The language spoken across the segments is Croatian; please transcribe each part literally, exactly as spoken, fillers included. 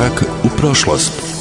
Korak u prošlost.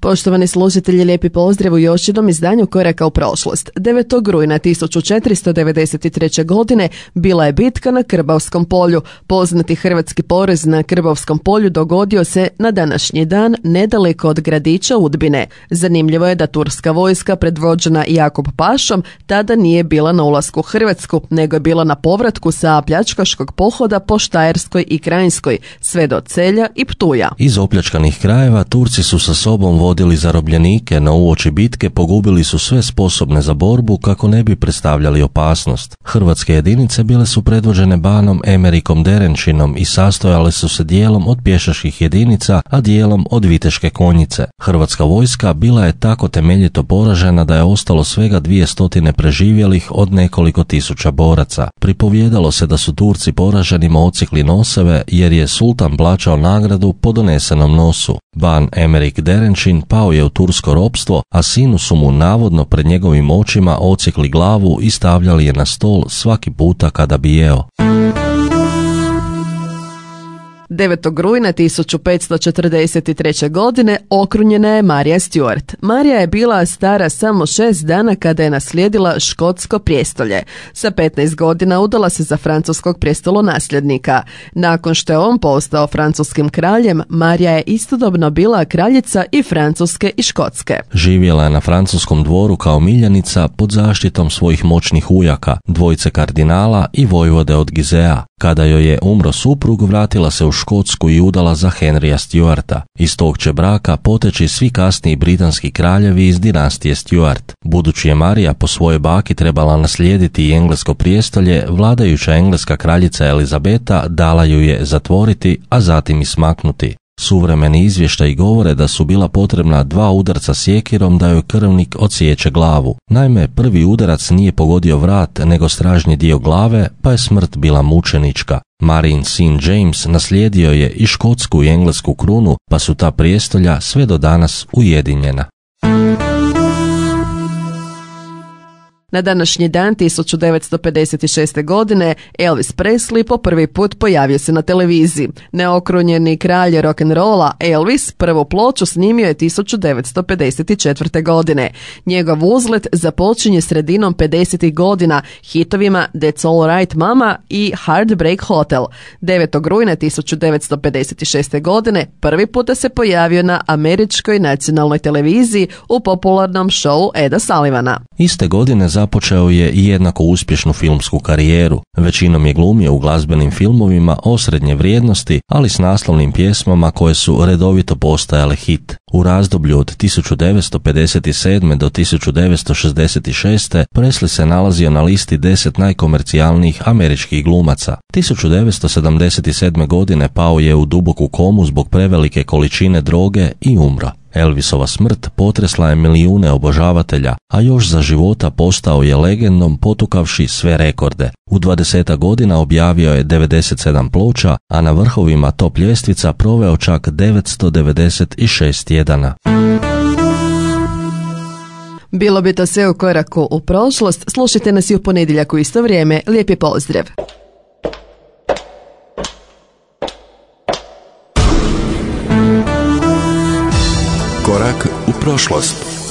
Poštovani slušatelji, lijepi pozdrav u još jednom izdanju Koraka u prošlost. devetog rujna tisuću četiristo devedeset treće. godine bila je bitka na Krbavskom polju. Poznati hrvatski porez na Krbavskom polju dogodio se na današnji dan nedaleko od gradića Udbine. Zanimljivo je da turska vojska predvođena Jakop Pašom tada nije bila na ulasku u Hrvatsku, nego je bila na povratku sa pljačkaškog pohoda po Štajerskoj i Krajinskoj, sve do Celja i Ptuja. Iz opljačkanih krajeva Turci su sa sobom vodili zarobljenike, no uoči bitke pogubili su sve sposobne za borbu kako ne bi predstavljali opasnost. Hrvatske jedinice bile su predvođene banom Emerikom Derenčinom i sastojale su se dijelom od pješačkih jedinica, a dijelom od viteške konjice. Hrvatska vojska bila je tako temeljito poražena da je ostalo svega dvije stotine preživjelih od nekoliko tisuća boraca. Pripovijedalo se da su Turci poraženima odsjekli noseve jer je sultan plaćao nagradu po donesenom nosu. Ban Emerik Derenčin pao je u tursko ropstvo, a sinu su mu navodno pred njegovim očima odsjekli glavu i stavljali je na stol svaki puta kada bi jeo. devetog rujna tisuću petsto četrdeset treće. godine okrunjena je Marija Stuart. Marija je bila stara samo šest dana kada je naslijedila škotsko prijestolje. Sa petnaest godina udala se za francuskog prijestolonasljednika. Nakon što je on postao francuskim kraljem, Marija je istodobno bila kraljica i Francuske i Škotske. Živjela je na francuskom dvoru kao miljenica pod zaštitom svojih moćnih ujaka, dvojice kardinala i vojvode od Gizea. Kada joj je umro suprug, vratila se u Škotsku i udala za Henrya Stuarta. Iz tog će braka poteći svi kasniji britanski kraljevi iz dinastije Stuart. Budući je Marija po svojoj baki trebala naslijediti i englesko prijestolje, vladajuća engleska kraljica Elizabeta dala ju je zatvoriti, a zatim i smaknuti. Suvremeni izvještaji govore da su bila potrebna dva udarca sjekirom da joj krvnik odsječe glavu. Naime, prvi udarac nije pogodio vrat, nego stražnji dio glave, pa je smrt bila mučenička. Marijin sin James naslijedio je i škotsku i englesku krunu, pa su ta prijestolja sve do danas ujedinjena. Na današnji dan tisuću devetsto pedeset šeste. godine Elvis Presley po prvi put pojavio se na televiziji. Neokrunjeni kralj rock'n'rolla Elvis prvu ploču snimio je tisuću devetsto pedeset četvrte. godine. Njegov uzlet započinje sredinom pedesetih godina hitovima That's All Right Mama i Heartbreak Hotel. devetog rujna tisuću devetsto pedeset šeste. godine prvi puta se pojavio na američkoj nacionalnoj televiziji u popularnom šovu Eda Sullivana. Iste godine započeo je i jednako uspješnu filmsku karijeru. Većinom je glumio u glazbenim filmovima osrednje vrijednosti, ali s naslovnim pjesmama koje su redovito postajale hit. U razdoblju od tisuću devetsto pedeset sedme. do tisuću devetsto šezdeset šeste. Presley se nalazio na listi deset najkomercijalnijih američkih glumaca. tisuću devetsto sedamdeset sedme. godine pao je u duboku komu zbog prevelike količine droge i umro. Elvisova smrt potresla je milijune obožavatelja, a još za života postao je legendom potukavši sve rekorde. U dvadeset godina objavio je devedeset sedam ploča, a na vrhovima top ljestvica proveo čak devetsto devedeset šest tjedana. Bilo bi to sve u Koraku u prošlost. Slušajte nas i u ponedjeljak u isto vrijeme. Lijepi pozdrav! Korak u prošlost.